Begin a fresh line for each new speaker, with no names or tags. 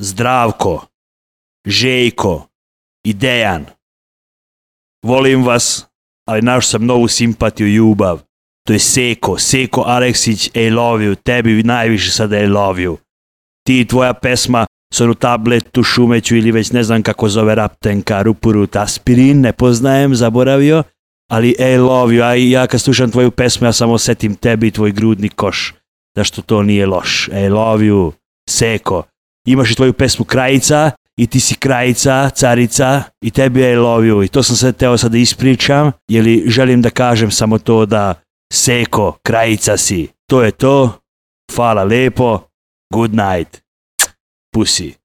Zdravko, Željko i Dejan. Volim vas, ali našao sam novu simpatiju i ljubav. To je Seko Aleksić, I love you, tebi najviše sada I love you. Ti i tvoja pesma s onu tabletu, šumeću ili već ne znam kako zove Raptenka, Rupurut, aspirin, ne poznajem, zaboravio, ali I love you, a ja kad slušam tvoju pesmu ja samo osjetim tebi i tvoj grudni koš, da što to nije loš. I love you, Seko. Imaš i tvoju pesmu Krajica i ti si Krajica, carica i tebi I love you. I to sam se teo sad da ispričam, jer želim da kažem samo to da Seko, Krajica si. To je to. Hvala lepo. Good night. Pussy.